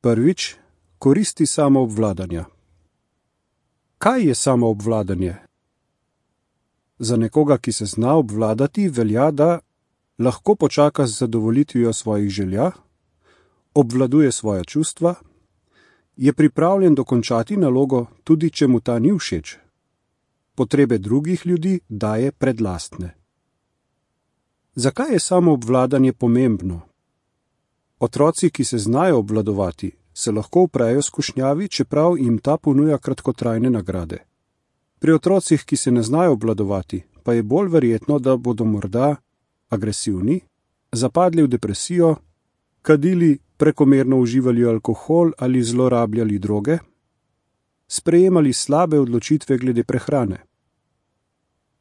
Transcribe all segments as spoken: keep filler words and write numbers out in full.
Prvič, koristi samoobvladanja. Kaj je samoobvladanje? Za nekoga, ki se zna obvladati, velja, da lahko počaka z zadovoljitvijo svojih želja, obvladuje svoja čustva, je pripravljen dokončati nalogo, tudi če mu ta ni všeč. Potrebe drugih ljudi daje pred lastne. Zakaj je samoobvladanje pomembno? Otroci, ki se znajo obvladovati, se lahko uprejo skušnjavi, čeprav jim ta ponuja kratkotrajne nagrade. Pri otrocih, ki se ne znajo obvladovati, pa je bolj verjetno, da bodo morda agresivni, zapadli v depresijo, kadili, prekomerno uživali alkohol ali zlorabljali droge, sprejemali slabe odločitve glede prehrane.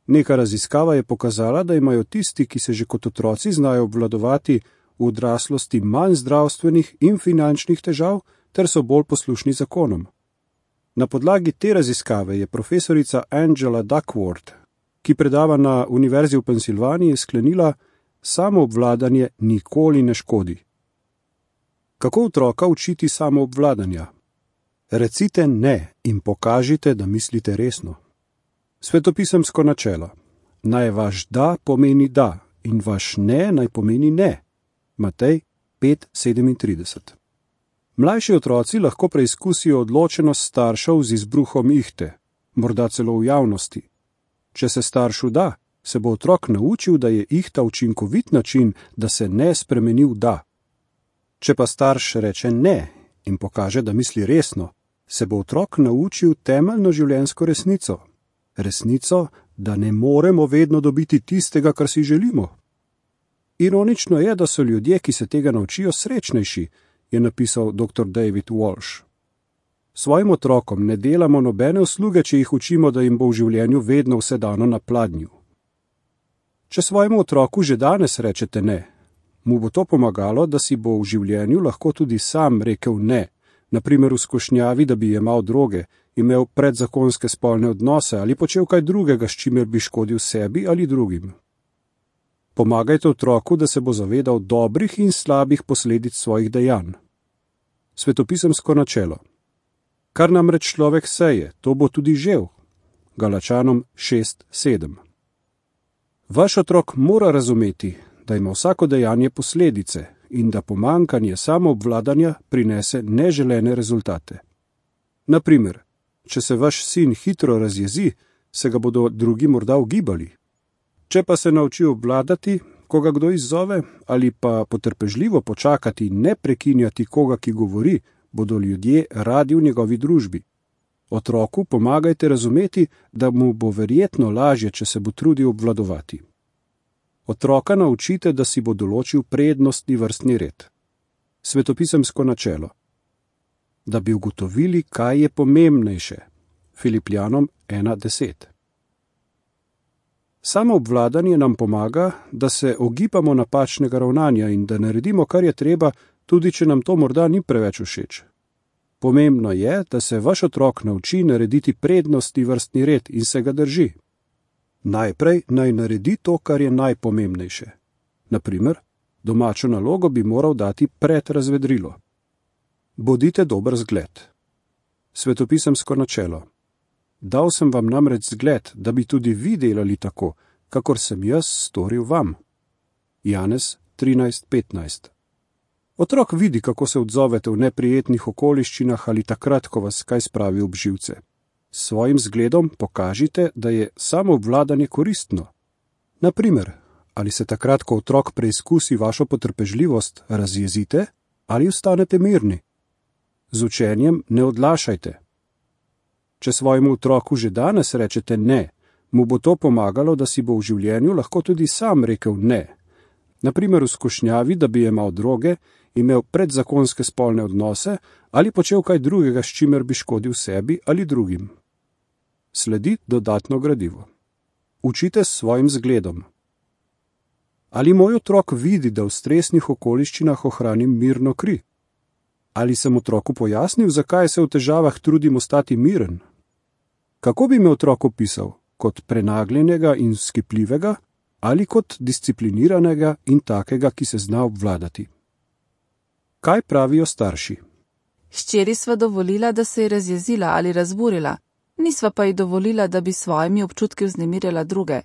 Neka raziskava je pokazala, da imajo tisti, ki se že kot otroci znajo obvladovati, v odraslosti manj zdravstvenih in finančnih težav ter so bolj poslušni zakonom. Na podlagi te raziskave je profesorica Angela Duckworth, ki predava na Univerzi v Pensilvaniji, sklenila: samoobvladanje nikoli ne škodi. Kako otroka učiti samoobvladanja? Recite ne in pokažite, da mislite resno. Svetopisemsko načelo. Naj vaš da pomeni da in vaš ne naj pomeni ne. Matej pet sedemintrideset. Mlajši otroci lahko preizkusijo odločenost staršev z izbruhom ihte, morda celo v javnosti. Če se staršu da, se bo otrok naučil, da je ihta učinkovit način, da se ne spremeni v da. Če pa starš reče ne in pokaže, da misli resno, se bo otrok naučil temeljno življenjsko resnico. Resnico, da ne moremo vedno dobiti tistega, kar si želimo. Ironično je, da so ljudje, ki se tega naučijo, srečnejši, je napisal doktor David Walsh. Svojim otrokom ne delamo nobene usluge, če jih učimo, da jim bo v življenju vedno vse dano na pladnju. Če svojemu otroku že danes rečete ne, mu bo to pomagalo, da si bo v življenju lahko tudi sam rekel ne, naprimer v skušnjavi, da bi jemal droge, imel predzakonske spolne odnose ali počel kaj drugega, s čimer bi škodil sebi ali drugim. Pomagajte otroku, da se bo zavedal dobrih in slabih posledic svojih dejanj. Svetopisemsko načelo. Kar namreč človek seje, to bo tudi žel. Galačanom šest sedem. Vaš otrok mora razumeti, da ima vsako dejanje posledice in da pomanjkanje samoobvladanja prinese neželene rezultate. Naprimer, če se vaš sin hitro razjezi, se ga bodo drugi morda ugibali. Če pa se nauči obvladati, ko ga kdo izzove, ali pa potrpežljivo počakati in ne prekinjati koga, ki govori, bodo ljudje radi v njegovi družbi. Otroku pomagajte razumeti, da mu bo verjetno lažje, če se bo trudil obvladovati. Otroka naučite, da si bo določil prednostni vrstni red. Svetopisemsko načelo. Da bi ugotovili, kaj je pomembnejše. Filipljanom ena deset. Samoobvladanje nam pomaga, da se ogibamo napačnega ravnanja in da naredimo, kar je treba, tudi če nam to morda ni preveč všeč. Pomembno je, da se vaš otrok nauči narediti prednostni vrstni red in se ga drži. Najprej naj naredi to, kar je najpomembnejše. Naprimer, domačo nalogo bi moral dati pred razvedrilo. Bodite dober zgled. Svetopisemsko načelo. Dal sem vam namreč zgled, da bi tudi vi delali tako, kakor sem jaz storil vam. Janez trinajst petnajst. Otrok vidi, kako se odzovete v neprijetnih okoliščinah ali takrat, ko vas kaj spravi ob živce. S svojim zgledom pokažite, da je samoobvladanje koristno. Naprimer, ali se takrat, ko otrok preizkusi vašo potrpežljivost, razjezite ali ostanete mirni. Z učenjem ne odlašajte. Če svojemu otroku že danes rečete ne, mu bo to pomagalo, da si bo v življenju lahko tudi sam rekel ne. Naprimer v skušnjavi, da bi jemal droge, imel predzakonske spolne odnose ali počel kaj drugega, s čimer bi škodil sebi ali drugim. Sledi dodatno gradivo. Učite s svojim zgledom. Ali moj otrok vidi, da v stresnih okoliščinah ohranim mirno kri? Ali sem otroku pojasnil, zakaj se v težavah trudim ostati miren? Kako bi me otrok opisal? Kot prenagljenega in vzkipljivega ali kot discipliniranega in takega, ki se zna obvladati? Kaj pravijo starši? Hčeri sva dovolila, da se je razjezila ali razburila, nisva pa ji dovolila, da bi svojimi občutki vznemirjala druge.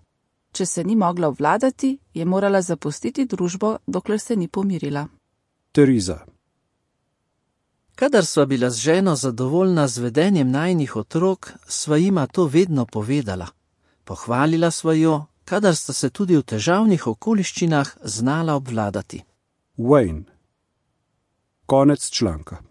Če se ni mogla obvladati, je morala zapustiti družbo, dokler se ni pomirila. Teriza. Kadar sva bila z ženo zadovoljna z vedenjem najinih otrok, sva jima to vedno povedala. Pohvalila sva jo, kadar sta se tudi v težavnih okoliščinah znala obvladati. Wayne. Konec članka.